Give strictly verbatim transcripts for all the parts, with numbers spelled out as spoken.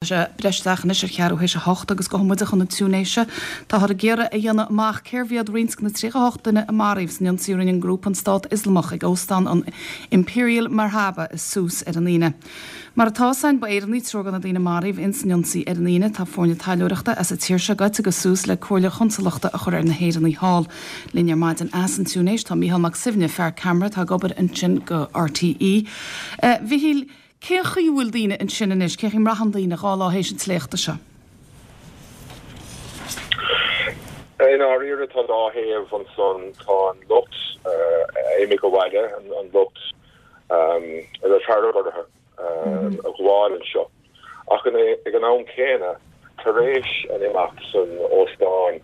Sé breis isteach anois ar cheathrú théis a hocht agus gabhfaidh muide chun na Túinéise. Táthar ag iarraidh a dhéanamh amach cérbh iad roinnt de na tríocha a hocht duine a maraíodh san ionsaí a rinne an grúpa an Stát Ioslamach ag óstán an Imperial Marhaba i Sousse ar an Aoine. Mar atá a fhios againn, ba Éireannaigh triúr de na daoine a maraíodh ins an ionsaí ar an Aoine. Tá foirne taidhleoireachta as an tír seo gaibhte go Sousse le comhairle chonsalachta a chur ar na hÉireannaigh thall. Linn ar maidin as an Túinéis tá Mícheál Mac Suibhne, fear ceamara atá ag obair ansin do R T E. Uh, Mhichíl, cén chaoi a bhfuil daoine ansin anois, cén chaoi a mbraitheann daoine dhá lá théis an tsléachta seo? I ndáiríre, tá dhá thaobh ansan. Tá an lucht uh, imigh abhaile, an, an lucht um, a raibh fearg orthu um, a ghabháil anseo. Ach ag an am céanna, tar éis an imeacht san óstán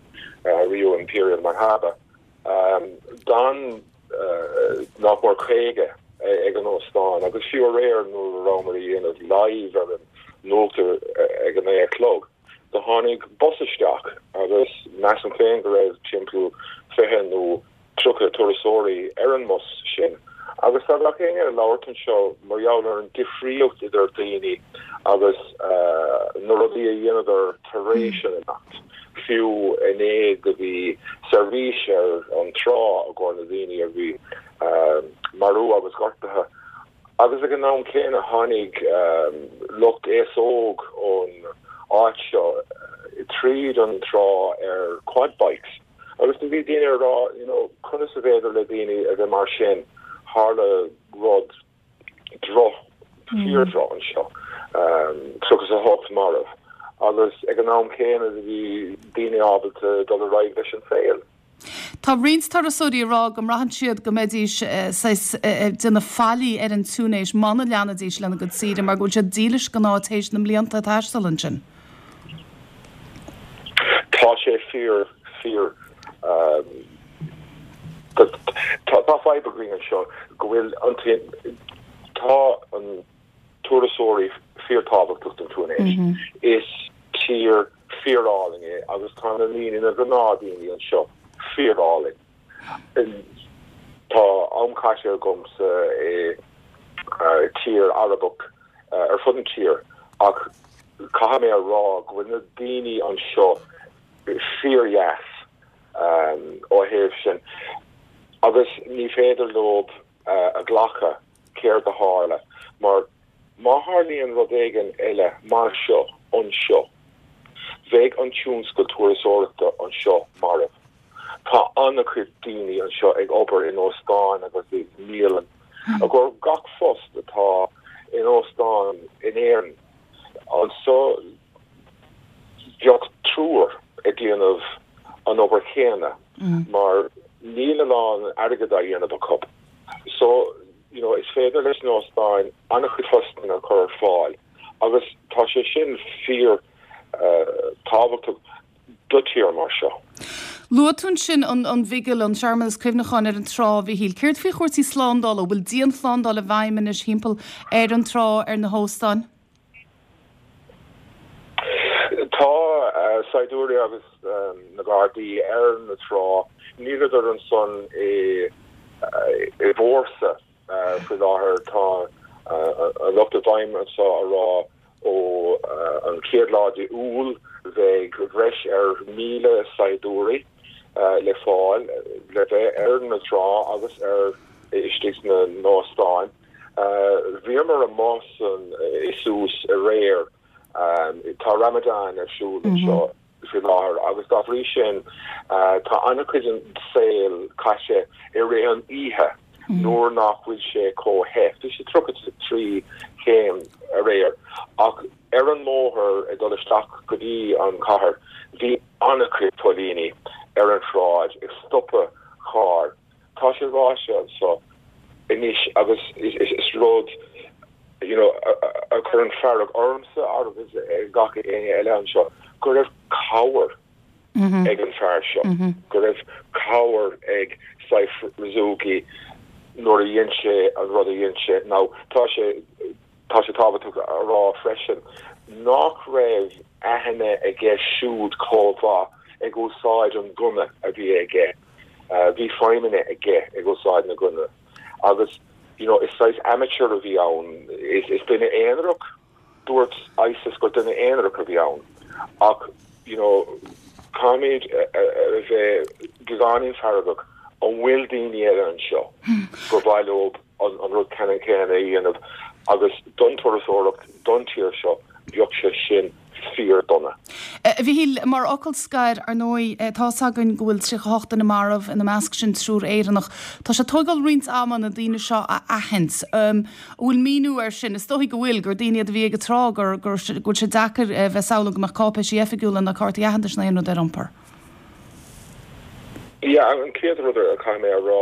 uh, Rio Imperial Marhaba, um, d'fhan uh, nach mór caoga ag an óstán, agus fiú aréir nuair a rabhamar ag déanamh live ar an nuacht ag an naoi a chlog, do tháinig bus isteach agus measaim féin go raibh timpeall fiche nó tríocha turasóirí ar an mbus sin. Agus tá gach éinne ag labhairt anseo mar gheall ar an difríocht idir daoine agus uh, na rudaí a dhéanadar tar éis an imeacht. Fiú inné go bhí seirbhís ar an trá i gcomhair na daoine a bhí uh, marbh agus gortaithe. Agus ag an am céanna tháinig um, lucht aos óg ón áit seo tríd an trá ar quad bikes. Agus do bhí daoine ag rá you know, conas is féidir le daoine a bheith mar sin, tharla rud droch fíordhroch anseo um, tríocha a hocht marbh. Agus ag an am céanna bhí daoine ábalta dul ar aghaidh leis an saol. Tá roinnt turasóirí ag rá go mbraitheann siad go mbeidís ag déanamh faillí ar an Túinéis muna leanfaidís lena gcuid saoire mar go bhfuil siad dílis don áit théis na mblianta taisteal ansin. Tá sé fíor fíor um, tá tá fadhb againn anseo go bhfuil an tá an turasóirí fíorthábhachtach don Túinéis. Mm -hmm. Is tír fíorálainn é agus tá na daoine, na gnáthdhaoine anseo fíorálainn. Tá am caite agamsa i uh, tír Arabach uh, ar fud an tír, ach caithfidh mé a rá go bhfuil na daoine anseo fíordheas um, ó thaobh sin agus ní féidir leo uh, a ghlacadh céard a tharla, mar má tharlaíonn rud éigin eile mar seo anseo, bheadh an tionscal turasóireachta anseo marbh. Tá an-chuid daoine anseo ag obair in óstáin agus i mbialanna. A gur gach post atá in óstán in Éirinn anseo, bheadh triúr ag déanamh an obair chéanna mm. mar níl a lán airgead á dhéanamh acu. So you know, is féidir leis na hóstáin an-chuid postanna a chur ar fáil agus tá sé sin fíor uh, tábhachtach do tír mar seo. Luaigh tú ansin an, an vigil, an searmanas cuimhneacháin ar an trá, Mhichíl. Céard faoi chúrsaí slándála, bhfuil dianshlándáil i bhfeidhm anois timpeall ar an trá, ar na hóstáin? Tá uh, saighdiúirí agus um, na Gardaí ar na trá. Níleadar ansan i uh, i bhfórsa uh, faoi láthair. Tá uh, an lucht i bhfeidhm anseo ag rá ó uh, an chéad lá de Iúil bheidh breis ar míle saighdiúirí uh, le fáil le bheith ar na trá agus ar istigh sna hóstáin. Uh, Bhíomar amuigh san i Sousse aréir. um, tá Ramadan ar siúl mm -hmm. anseo faoi láthair agus dá bhrí sin uh, tá an-chuid den saol caite i rith an oíche mm. nuair nach bhfuil sé chomh te. Bhí sé tríocha trí chéim aréir ach ar an mbóthar ag dul isteach go dtí an cathair bhí an-chuid póilíní ar an tsráid ag stopadh carr. Tá sé ráite anseo anois agus is, is, is rud you know, a chuireann fearg ormsa agus gach éinne eile anseo go raibh cabhair mm -hmm. ag an fear seo, mm -hmm. go raibh cabhair ag Saif Razzouki nuair a dhein sé an rud a dhein sé. Now tá sé tá sé tábhachtach a rá freisin nach raibh aithne aige siúd chomh maith ag úsáid an gunna a bhí aige. Uh, bhí feidhmeanna aige ag úsáid na gunna. Agus you know, is saghas amateur a bhí ann, is, is duine aonarach Dúirt ISIS gur duine aonarach a bhí ann ach you know caithfimid a bheith beagáinín feargach an bhfuil daoine eile anseo gur mhaith leo an rud ceannann céanna a dhéanamh agus don turasóireacht don tír seo bheadh sé sin fíor-dona. A Mhichíl mar fhocal scoir ar ndóigh tá 's againn go bhfuil tríocha hocht duine marbh ina measc sin triúr Éireannach. Tá sé tógáil roinnt ama na daoine seo a aithint. Um, bhfuil míniú ar sin is dóigh go bhfuil gur daoine a bhí ag an trá gur gur bhfuil sé deacair bheith samhlú go mbeadh cáipéisí oifigiúla na cártaí aitheantais na rud ar iompar. Ja an chéad rud a chaithfidh mé a rá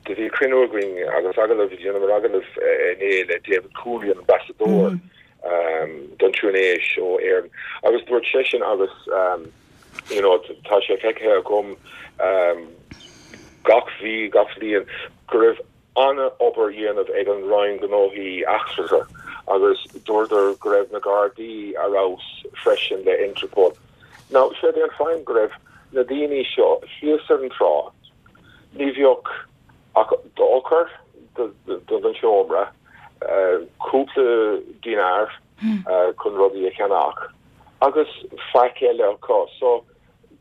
do bhí cruinniú againn agus agallamh dhéanamar agallamh inné le David Cooley an ambassadóir. Mm -hmm. um, don Túinéis ó Éirinn agus dúirt seisean agus um, you know, tá sé feicthe agam um, gach mhí gach bliain go raibh an-obair á dhéanamh ag an Roinn Gnóthaí Eachtracha agus dúradar go raibh na Gardaí ar fheabhas freisin le Interpol. Now sé an fáth go raibh na daoine seo thíos ar an trá ní bheadh ach d'eochair don seomra cúpla dinar chun rudaí a cheannach agus faic eile acu so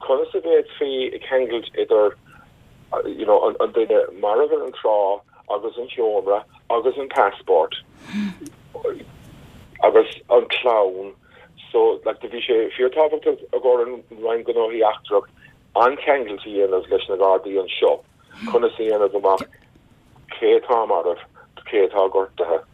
conas a bhféadfaí ceangal idir you know, an, an duine marbh ar an trá agus an seomra agus an passport agus an clann so like bhí sé fíorthábhachtach ag an Roinn Gnóthaí Eachtrach an ceangal a dhéanamh leis na Gardaí anseo conas a dhéanamh amach cé atá marbh cé atá gortaithe